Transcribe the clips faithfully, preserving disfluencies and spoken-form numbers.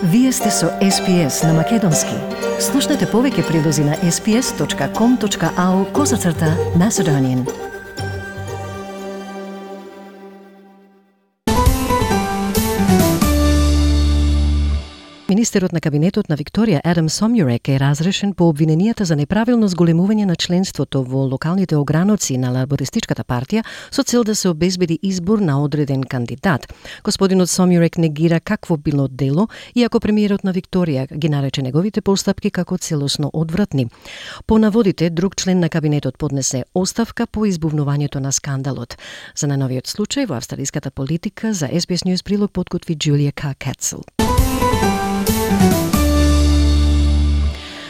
Вие сте со Ес Пи Ес на Македонски. Слушнете повеќе прилози на ес пи ес точка ком точка ау козацрта Macedonian. Министерот на кабинетот на Викторија Адам Сомјурек е разрешен по обвиненијата за неправилно зголемување на членството во локалните ограноци на Лабористичката партија со цел да се обезбеди избор на одреден кандидат. Господинот Сомјурек негира какво било дело, иако премиерот на Викторија ги нарече неговите постапки како целосно одвратни. По наводите, друг член на кабинетот поднесе оставка по избувнувањето на скандалот. За најновиот случај во австралиската политика за Ес Пи Ес News прилог подготви Джулија Кацел.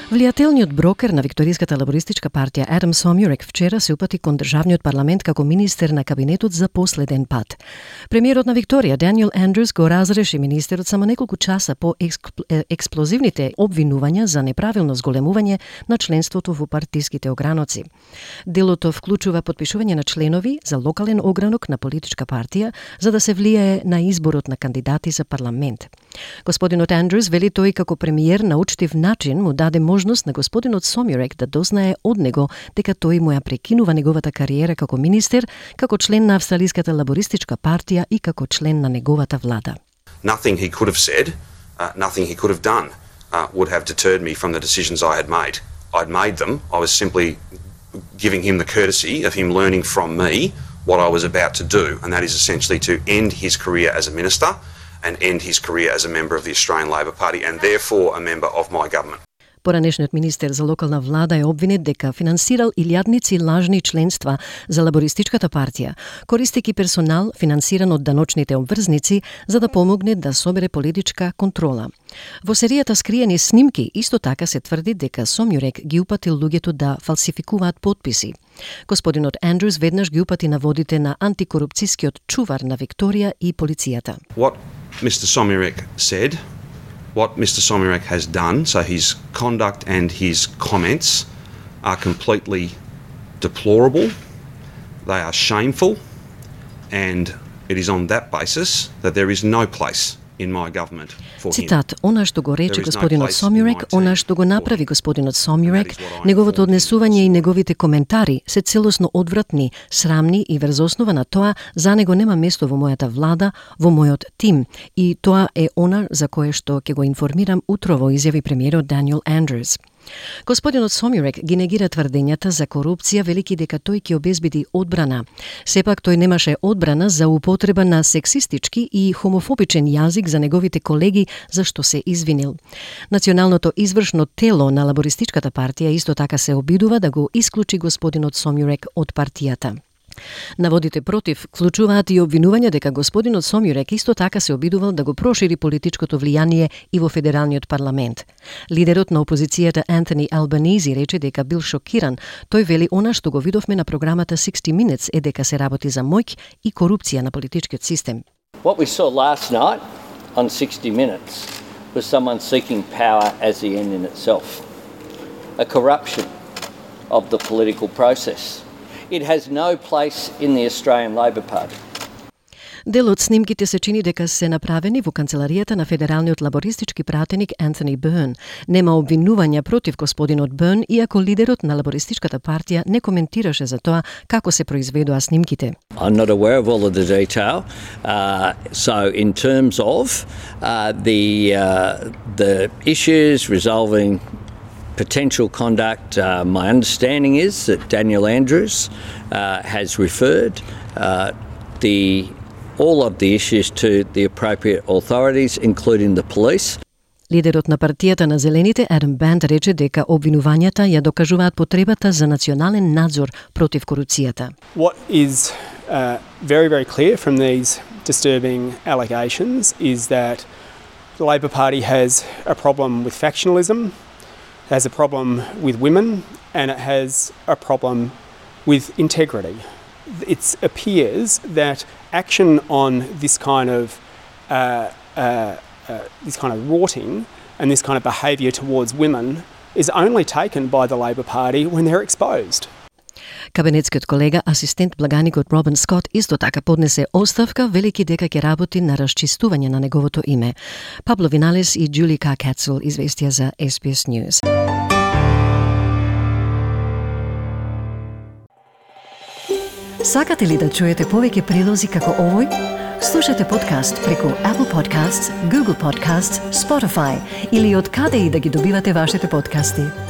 Влијателниот брокер на Викториската лабористичка партија Адам Сомјурек вчера се упати кон државниот парламент како министер на кабинетот за последен пат. Премиерот на Викторија Даниел Андрус го разреши министерот само неколку часа по експ... експлозивните обвинувања за неправилно зголемување на членството во партиските ограноци. Делото вклучува подпишување на членови за локален огранок на политичка партија за да се влијае на изборот на кандидати за парламент. Господинот Андрус вели тој како премиер на учтив начин му даде можност на господинот Сомјурек да дознае од него дека тој му ја прекинува неговата кариера како министер, како член на австралиската лабористичка партија и како член на неговата влада. Nothing he could have said, uh, nothing he could have done uh, would have deterred me from the decisions I had made. I'd made them. I was simply giving him the courtesy of him learning from me what I was about to do, and that is essentially to end his career as a minister and end his career as a member of the Australian Labor Party and therefore a member of my government. Поранешниот министер за локална влада е обвинет дека финансирал илјадници лажни членства за лабористичката партија, користејќи персонал финансиран од даночните обврзници за да помогне да собере политичка контрола. Во серијата скриени снимки исто така се тврди дека Сомјурек ги упатил луѓето да фалсификуваат потписи. Господинот Андрус веднаш ги упати наводите на антикорупцијскиот чувар на Викторија и полицијата. What Mister Somjurek said, what Mister Somjurek has done, so his conduct and his comments are completely deplorable, they are shameful, and it is on that basis that there is no place in my government for him. Цитат: "Она што го рече господинот Сомјурек, она што го направи господинот Сомјурек, неговото однесување и неговите коментари се целосно одвратни, срамни и врз основа на тоа за него нема место во мојата влада, во мојот тим, и тоа е она за кое што ќе го информирам утрово", изјави премиерот Даниел Андрус. Господинот Сомјурек ги негира тврдењата за корупција, велики дека тој ќе обезбеди одбрана. Сепак тој немаше одбрана за употреба на сексистички и хомофобичен јазик за неговите колеги, за што се извинил. Националното извршно тело на лабористичката партија исто така се обидува да го исклучи господинот Сомјурек од партијата. Наводите против вклучуваат и обвинување дека господинот Сомјурек исто така се обидувал да го прошири политичкото влијание и во федералниот парламент. Лидерот на опозицијата Антони Албанизи рече дека бил шокиран. Тој вели она што го видовме на програмата sixty minutes е дека се работи за моќ и корупција на политичкиот систем. What we saw last night on sixty minutes was someone seeking power as the end in itself. A corruption of the political process. It has no place in the Australian Labor Party. Дел од снимките се чини дека се направени во канцеларијата на федералниот лабористички пратеник Антони Бърн. Нема обвинувања против господинот Бърн, иако лидерот на лабористичката партија не коментираше за тоа како се произведоа снимките. I'm not aware of all of the detail. Uh, so in terms of uh, the uh, the issues resolving potential conduct, uh, my understanding is that Daniel Andrews uh, has referred uh, the all of the issues to the appropriate authorities, including the police. Лидерот на партијата на Зелените Адам Банд рече дека обвинувањата ја докажуваат потребата за национален надзор против корупцијата. What is uh, very very clear from these disturbing allegations is that the Labor Party has a problem with factionalism, has a problem with women, and it has a problem with integrity. It appears that action on this kind of uh, uh, uh, this kind of rorting and this kind of behaviour towards women is only taken by the Labor Party when they're exposed. Кабинетскиот колега, асистент благаникот Робин Скот, исто така поднесе оставка, велики дека ќе работи на расчистување на неговото име. Пабло Виналес и Джули К. Кацел известија за Ес Би Ес News. Сакате ли да чуете повеќе прилози како овој? Слушате подкаст преку Apple Podcasts, Google Podcasts, Spotify или од каде и да ги добивате вашите подкасти.